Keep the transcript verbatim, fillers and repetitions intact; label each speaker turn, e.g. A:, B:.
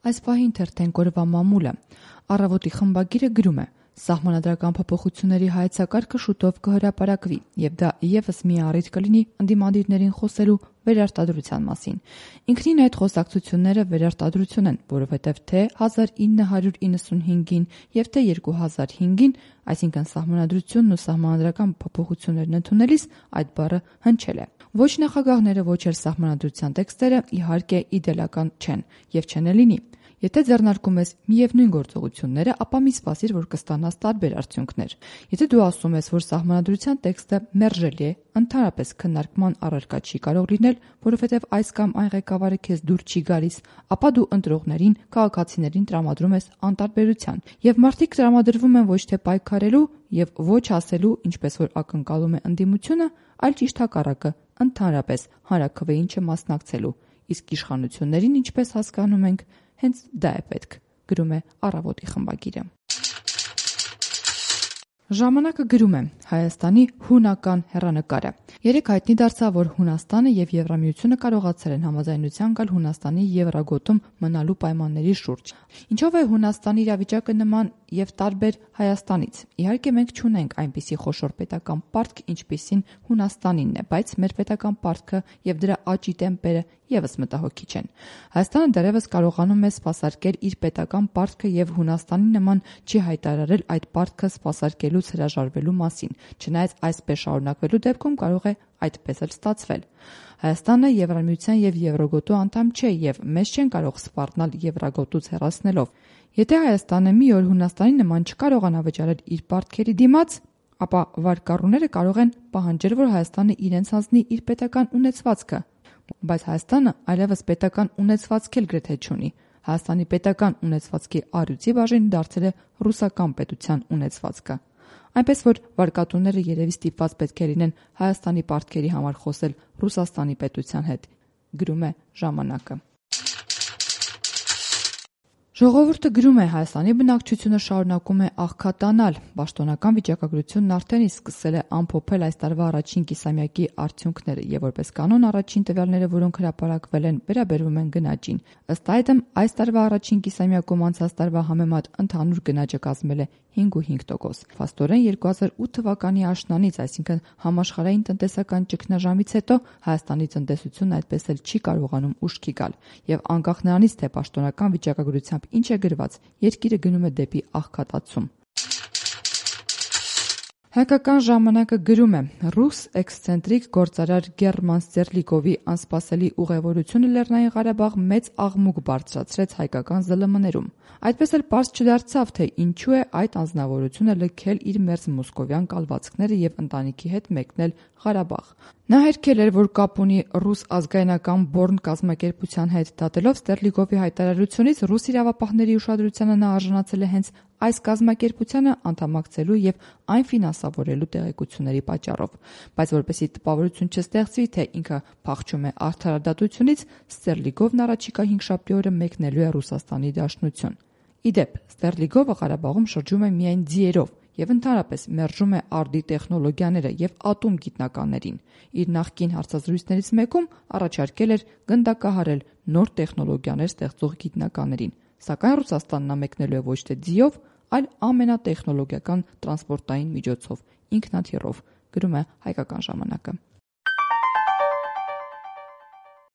A: Այս պահի ընթերցենք օրվա մամուլը։ Առավոտի խմբագիրը գրում է. Սահմանադրական փոփոխությունների հայեցակարգը շուտով կհրապարակվի, եւ դա եւս մի առիթ կլինի ընդդիմադիրներին խոսելու վերարտադրության մասին։ Ինքնին այդ խոսակցությունները վերարտադրություն են, որովհետեւ թե հազար ինը հարյուր իննսունհինգին եւ թե երկու հազար հինգին, այսինքն սահմանադրությունն ու սահմանադրական փոփոխություններն ընդունելիս այդ բառը հնչել է։ Ոչ նախագահները, ոչ էլ սահմանադրության տեքստերը իհարկե իդեալական չեն եւ չեն էլ լինի։ Եթե ձեռնարկում ես միևնույն գործողությունները, ապա մի սպասիր, որ կստանաս տարբեր արդյունքներ։ Եթե դու ասում ես, որ սահմանադրության տեքստը մերժելի է, ընդհանրապես քննարկման առարկա չի կարող լինել, որովհետև այս կամ այն ղեկավարը քեզ դուր չի գալիս, ապա դու ընտրողներին, քաղաքացիներին տրամադրում ես անտարբերության, եւ մարդիկ տրամադրվում են ոչ թե պայքարելու եւ ոչ ասելու, ինչպես որ ակնկալում է ընդդիմությունը, այլ ճիշտ հակառակը, ընդհանրապես հանրաքվեին չմասնակցելու։ Իսկ իշխանություններին, ինչպես հասկանում ենք, հենց դա է պետք, գրում է Առավոտի խմբագիրը։ Ժամանակը գրում է Հայաստանի հունական հեռանկարը։ Երեք հայտնի դարձավ, որ Հունաստանը եւ Եվրամիությունը կարողացել են համաձայնության գալ Հունաստանի Եվրագոտում մնալու պայմանների շուրջ։ Ինչով է Հունաստանի իրավիճակը նման եւ տարբեր Հայաստանից։ Իհարկե մենք չունենք այնպիսի խոշոր պետական պարտք, ինչպիսին Հունաստանինն է, բայց մեր պետական պարտքը եւ դրա աճի տեմպերը եւս մտահոգիչ են։ Հայաստանը դեռևս կարողանում է սպասարկել իր պետական պարտքը եւ Հունաստանի նման չի հայտարարել այդ պարտքը սպասարկելուց հրաժարվելու մասին, չնայած այսպես շարունակվելու դեպքում կարող է այդպես էլ ստացվել։ Հայաստանը Եվրամիության եւ Եվրոգոտու անդամ չէ եւ մեզ չեն կարող սպառնալ Եվրագոտուց հեռացնելով։ Եթե Հայաստանը մի օր Հունաստանի նման չկարողանա վճարել իր պարտքերի դիմաց, ապա վարկառուները կարող են պահանջել, որ Հայաստանը իրենց հանձնի իր պետական ունեցվածքը, բայց Հայաստանը այլևս պետական ունեցվածք էլ գրեթե չունի։ Հայաստանի պետական ունեցվածքի առյուծի բաժին դարձել է ռուսական պետության ունեցվածքը։ Այնպես որ վարկատուները երևի ստիպված պետք է լինեն Հայաստանի պարտքերի համար խոսել Ռուսաստանի պետության հետ, գրում է Ժամանակը։ Ժողովուրդը գրում է Հայաստանի բնակչությունը շարունակում է աղքատանալ։ Պաշտոնական վիճակագրությունն արդեն իսկ սկսել է ամփոփել այս տարվա առաջին կիսամյակի արդյունքները եւ որպես կանոն առաջին տվյալները, որոնք հրապարակվել են, վերաբերվում են գնաճին։ Ըստ այդմ այս տարվա առաջին կիսամյակում անցած տարվա համեմատ ընդհանուր գնաճը կազմել է հինգ ու հինգ տոկոս։ Փաստորեն երկու հազար ութ թվականի աշնանից, այսինքն համաշխարհային տնտեսական ճգնաժամից հետո Հայաստանի տնտեսությունն այդպես էլ չի կարողանում ուշքի գալ եւ անկախ նրանից, թե պաշտոնական վիճակագրությամբ ինչ է գրված, երկիրը գնում է դեպի աղքատացում։ Հայկական ժամանակը գրում է. ռուս էքսցենտրիկ գործարար Գերման Ստերլիկովի անսպասելի ուղևորությունը Լեռնային Ղարաբաղ մեծ աղմուկ բարձրացրեց հայկական զլմ-ներում։ Այդպես էլ պարզ չդարձավ, թե ինչու է այդ անձնավորությունը լքել իր մերձ մոսկովյան կալվածքները եւ ընտանիքի հետ մեկնել Ղարաբաղ։ Նա հերքել էր, որ կապ ունի ռուս ազգայնական Բորն կազմակերպության հետ։ Դատելով Ստերլիկովի հայտարարությունից, ռուս իրավապահների ուշադրությանը նա արժանացել է հենց այս կազմակերպությանը անդամակցելու եւ այն ֆինանսավորելու տեղեկությունների պատճառով, բայց որպեսզի տպավորություն չստեղծվի, թե ինքը փախչում է արդարադատությունից, Ստերլիկովն առաջիկա հինգշաբթի օրը մեկնելու է Ռուսաստանի Դաշնություն։ Իդեպ, Ստերլիկովը Ղարաբաղում շրջում է միայն ձիերով եւ ընդհանրապես մերժում է արդի տեխնոլոգիաները եւ ատոմ գիտնականներին։ Իր նախկին հարցազրույցներից մեկում առաջարկել էր գնդակահարել նոր տեխնոլոգիաներ ստեղծող գիտնականներին, սակայն Ռուսաստանն նա մեկնելու է ոչ թե ձիով, այլ ամենատեխնոլոգիական տրանսպորտային միջոցով՝ ինքնաթիռով, գրում է Հայկական ժամանակը։